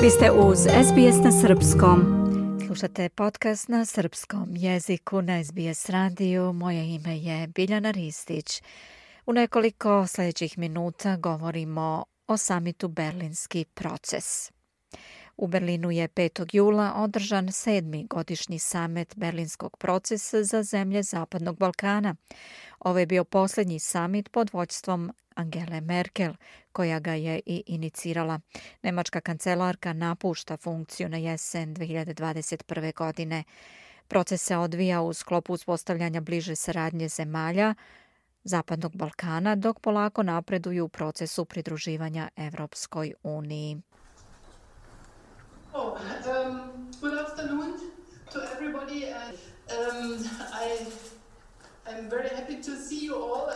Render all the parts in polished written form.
Vi ste uz SBS na srpskom. Slušate podcast na srpskom jeziku na SBS radiju. Moje ime je Biljana Ristić. U nekoliko sljedećih minuta govorimo o samitu Berlinski proces. U Berlinu je 5. jula održan 7. godišnji samit Berlinskog procesa za zemlje Zapadnog Balkana. Ovo je bio posljednji samit pod vođstvom Angele Merkel, koja ga je i inicirala. Nemačka kancelarka napušta funkciju na jesen 2021. godine. Proces se odvija u sklopu uspostavljanja bliže saradnje zemalja Zapadnog Balkana, dok polako napreduju u procesu pridruživanja Evropskoj uniji. Good afternoon to everybody. I'm very happy to see you all.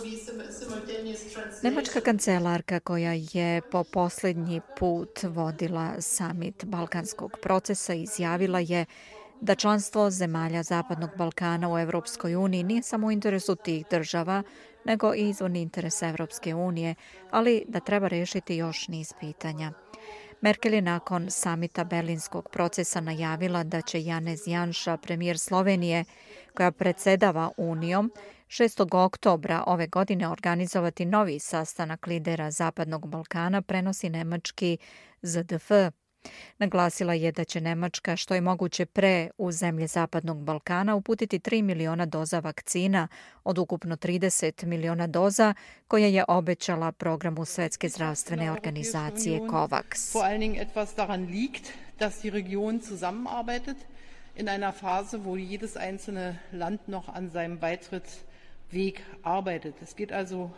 Simultaneous translation. Nemačka kancelarka koja je po posljednji put vodila samit Balkanskog procesa izjavila je da članstvo zemalja Zapadnog Balkana u Evropskoj uniji nije samo u interesu tih država, nego i izvorni interes Evropske unije, ali da treba rešiti još niz pitanja. Merkel je nakon samita Berlinskog procesa najavila da će Janez Janša, premijer Slovenije, koja predsjedava Unijom, 6. oktobra ove godine organizovati novi sastanak lidera Zapadnog Balkana, prenosi nemački ZDF. Naglasila je da će Nemačka što je moguće pre u zemlje Zapadnog Balkana uputiti 3 miliona doza vakcina od ukupno 30 miliona doza koje je obećala programu Svetske zdravstvene organizacije COVAX. Vor allen Dingen etwas daran liegt, dass die Region zusammenarbeitet in einer Phase, wo jedes einzelne Land noch an seinem Beitrittsweg arbeitet. Es geht also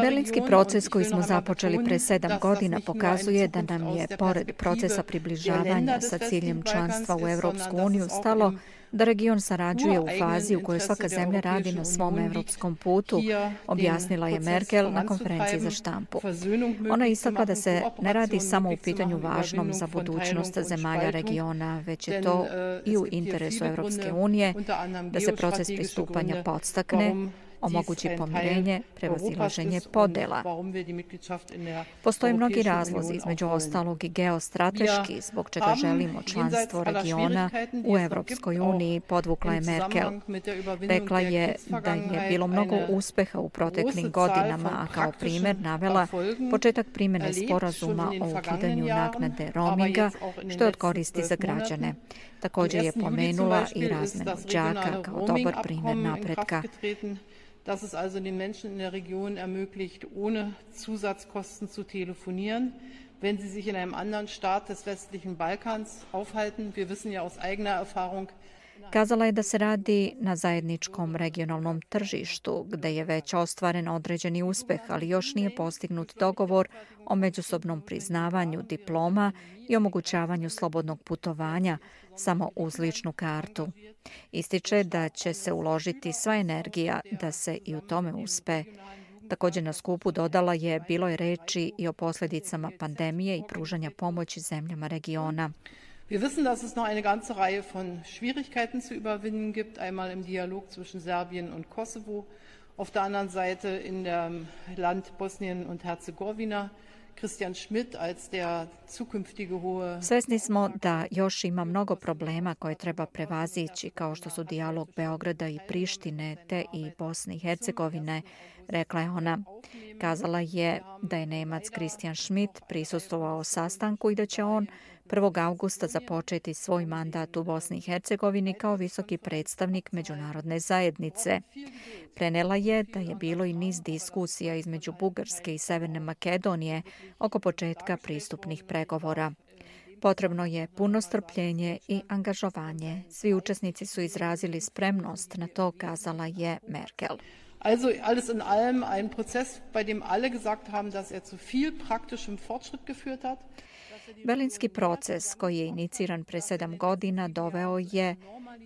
Berlinski proces koji smo započeli pre 7 godina pokazuje da nam je, pored procesa približavanja sa ciljem članstva u Evropsku uniju, stalo da region sarađuje u fazi u kojoj svaka zemlja radi na svom evropskom putu, objasnila je Merkel na konferenciji za štampu. Ona je istakla da se ne radi samo u pitanju važnom za budućnost zemalja regiona, već je to i u interesu Evropske unije da se proces pristupanja podstakne, omogući pomirenje, prevazilaženje podela. Postoje mnogi razlozi, između ostalog i geostrateški, zbog čega želimo članstvo regiona u Evropskoj uniji, podvukla je Merkel. Rekla je da je bilo mnogo uspeha u proteklim godinama, a kao primjer navela početak primjene sporazuma o ukidanju naknade roaminga, što je od koristi za građane. Također je pomenula i razmenu đaka kao dobar primjer napretka. Dass es also den Menschen in der Region ermöglicht, ohne Zusatzkosten zu telefonieren, wenn sie sich in einem anderen Staat des westlichen Balkans aufhalten. Wir wissen ja aus eigener Erfahrung. Kazala je da se radi na zajedničkom regionalnom tržištu, gde je već ostvaren određeni uspeh, ali još nije postignut dogovor o međusobnom priznavanju diploma i omogućavanju slobodnog putovanja samo uz ličnu kartu. Ističe da će se uložiti sva energija da se i u tome uspe. Također na skupu dodala je, bilo je reči i o posljedicama pandemije i pružanja pomoći zemljama regiona. Wir wissen, dass es noch eine ganze Reihe von Schwierigkeiten zu überwinden gibt, einmal im Dialog zwischen Serbien und Kosovo, auf der anderen Seite in dem Land Bosnien und Herzegowina. Christian Schmidt als der zukünftige hohe... Svesni smo da još ima mnogo problema koje treba prevazići, kao što su dijalog Beograda i Prištine, te i Bosne i Hercegovine, rekla je ona. Kazala je da je Nemac Christian Schmidt prisustvovao sastanku i da će on 1. augusta započeti svoj mandat u Bosni i Hercegovini kao visoki predstavnik međunarodne zajednice. Prenela je da je bilo i niz diskusija između Bugarske i Severne Makedonije oko početka pristupnih pregovora. Potrebno je puno strpljenje i angažovanje. Svi učesnici su izrazili spremnost na to, kazala je Merkel. Also alles in allem ein Prozess, bei dem alle gesagt haben, dass er zu viel praktischem Fortschritt geführt hat. Berlinski proces koji je iniciran pre 7 godina doveo je,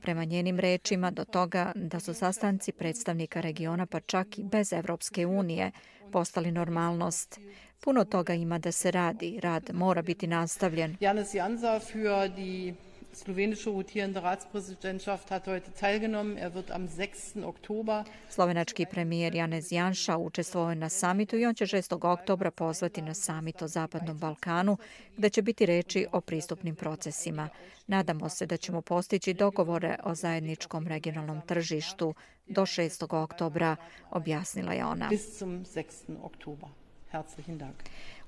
prema njenim rečima, do toga da su sastanci predstavnika regiona, pa čak i bez Evropske unije, postali normalnost. Puno toga ima da se radi, rad mora biti nastavljen. Janez Janša für die slowenische rotierende Ratspräsidentschaft hat heute teilgenommen. Er wird am 6. Oktobra. Slovenački premijer Janez Janša učestvovao je na samitu i on će 6. oktobra pozvati na samit o Zapadnom Balkanu, gde će biti reči o pristupnim procesima. Nadamo se da ćemo postići dogovore o zajedničkom regionalnom tržištu do 6. oktobra, objasnila je ona. Bis zum 6. Oktobra. Herzlichen Dank.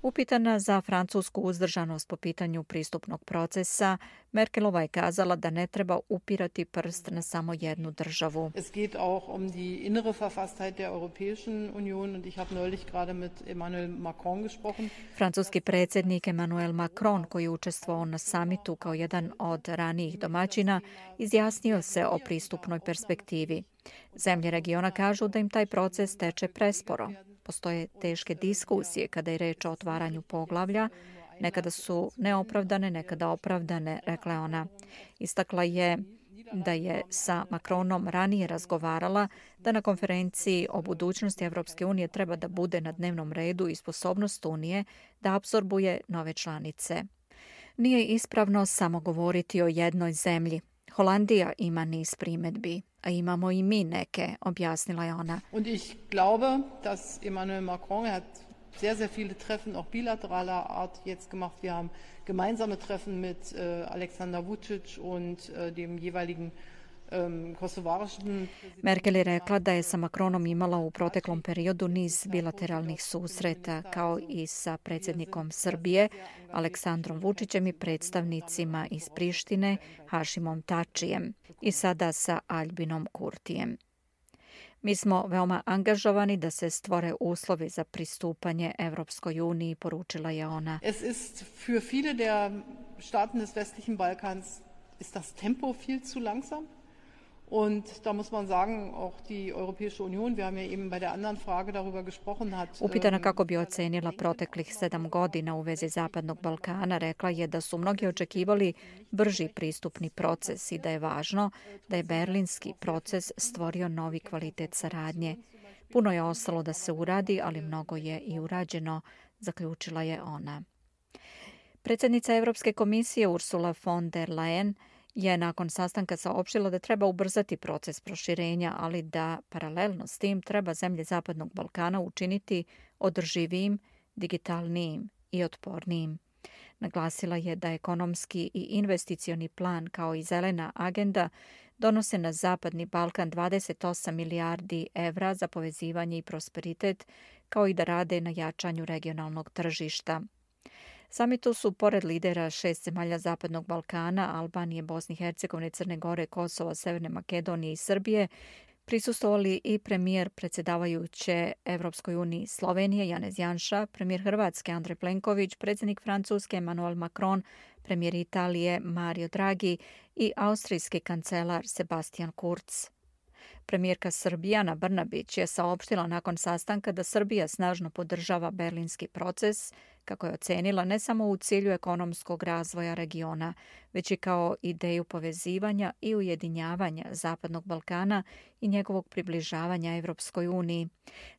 Upitana za francusku uzdržanost po pitanju pristupnog procesa, Merkelova je kazala da ne treba upirati prst na samo jednu državu. Es geht auch um die innere Verfasstheit der Europäischen Union und ich habe neulich gerade mit Emmanuel Macron gesprochen. Francuski predsjednik Emmanuel Macron, koji je učestvovao na samitu kao jedan od ranijih domaćina, izjasnio se o pristupnoj perspektivi. Zemlje regiona kažu da im taj proces teče presporo. Postoje teške diskusije kada je reč o otvaranju poglavlja. Nekada su neopravdane, nekada opravdane, rekla je ona. Istakla je da je sa Macronom ranije razgovarala da na konferenciji o budućnosti Evropske unije treba da bude na dnevnom redu i sposobnost Unije da apsorbuje nove članice. Nije ispravno samo govoriti o jednoj zemlji. Holandija ima niz primjedbi, a imamo i mi neke, objasnila je ona. Und ich glaube, dass Emmanuel Macron hat sehr viele Treffen auch bilateraler Art jetzt gemacht. Wir haben gemeinsame Treffen mit Aleksandar Vučić und dem jeweiligen kosovarischen. Merkel je rekla da je sa Macronom imala u proteklom periodu niz bilateralnih susreta, kao i sa predsjednikom Srbije, Aleksandrom Vučićem i predstavnicima iz Prištine, Hašimom Tačijem, i sada sa Albinom Kurtijem. Mi smo veoma angažovani da se stvore uslovi za pristupanje Evropskoj uniji, poručila je ona. Es ist für viele der Staaten des westlichen Balkans ist das Tempo viel zu langsam. Und da muss man sagen, auch die Europäische Union, wir haben ja eben bei der anderen Frage darüber gesprochen, hat... Upitana kako bi ocenila proteklih 7 godina u vezi Zapadnog Balkana, rekla je da su mnogi očekivali brži pristupni proces i da je važno da je berlinski proces stvorio novi kvalitet saradnje. Puno je ostalo da se uradi, ali mnogo je i urađeno, zaključila je ona. Predsjednica Europske komisije Ursula von der Leyen je nakon sastanka saopštila da treba ubrzati proces proširenja, ali da paralelno s tim treba zemlje Zapadnog Balkana učiniti održivijim, digitalnijim i otpornijim. Naglasila je da ekonomski i investicioni plan kao i zelena agenda donose na Zapadni Balkan 28 milijardi evra za povezivanje i prosperitet, kao i da rade na jačanju regionalnog tržišta. Samitu su, pored lidera 6 zemalja Zapadnog Balkana, Albanije, Bosne i Hercegovine, Crne Gore, Kosova, Severne Makedonije i Srbije, prisustvovali i premijer predsjedavajuće Evropskoj uniji Slovenije Janez Janša, premijer Hrvatske Andrej Plenković, predsjednik Francuske Emmanuel Macron, premijer Italije Mario Draghi i austrijski kancelar Sebastian Kurz. Premijerka Srbije Ana Brnabić je saopštila nakon sastanka da Srbija snažno podržava berlinski proces, kako je ocenila ne samo u cilju ekonomskog razvoja regiona, već i kao ideju povezivanja i ujedinjavanja Zapadnog Balkana i njegovog približavanja Evropskoj uniji.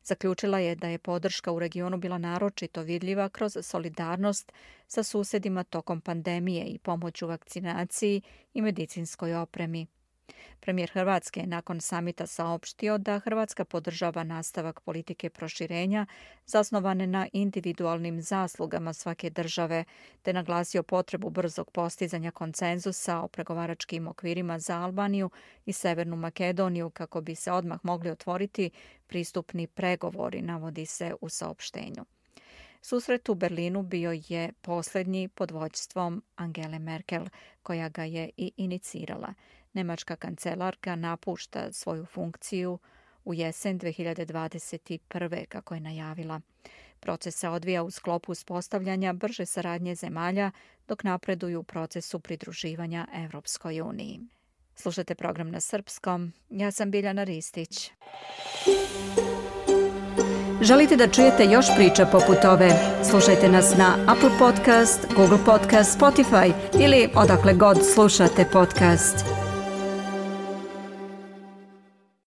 Zaključila je da je podrška u regionu bila naročito vidljiva kroz solidarnost sa susedima tokom pandemije i pomoć u vakcinaciji i medicinskoj opremi. Premijer Hrvatske je nakon samita saopštio da Hrvatska podržava nastavak politike proširenja zasnovane na individualnim zaslugama svake države, te naglasio potrebu brzog postizanja konsenzusa o pregovaračkim okvirima za Albaniju i Severnu Makedoniju kako bi se odmah mogli otvoriti pristupni pregovori, navodi se u saopštenju. Susret u Berlinu bio je posljednji pod vođstvom Angele Merkel, koja ga je i inicirala. Nemačka kancelarka napušta svoju funkciju u jesen 2021. kako je najavila. Proces se odvija u sklopu uspostavljanja brže saradnje zemalja dok napreduju u procesu pridruživanja Evropskoj uniji. Slušajte program na srpskom. Ja sam Biljana Ristić. Želite da čujete još priča poput ove? Slušajte nas na Apple Podcast, Google Podcast, Spotify ili odakle god slušate podcast.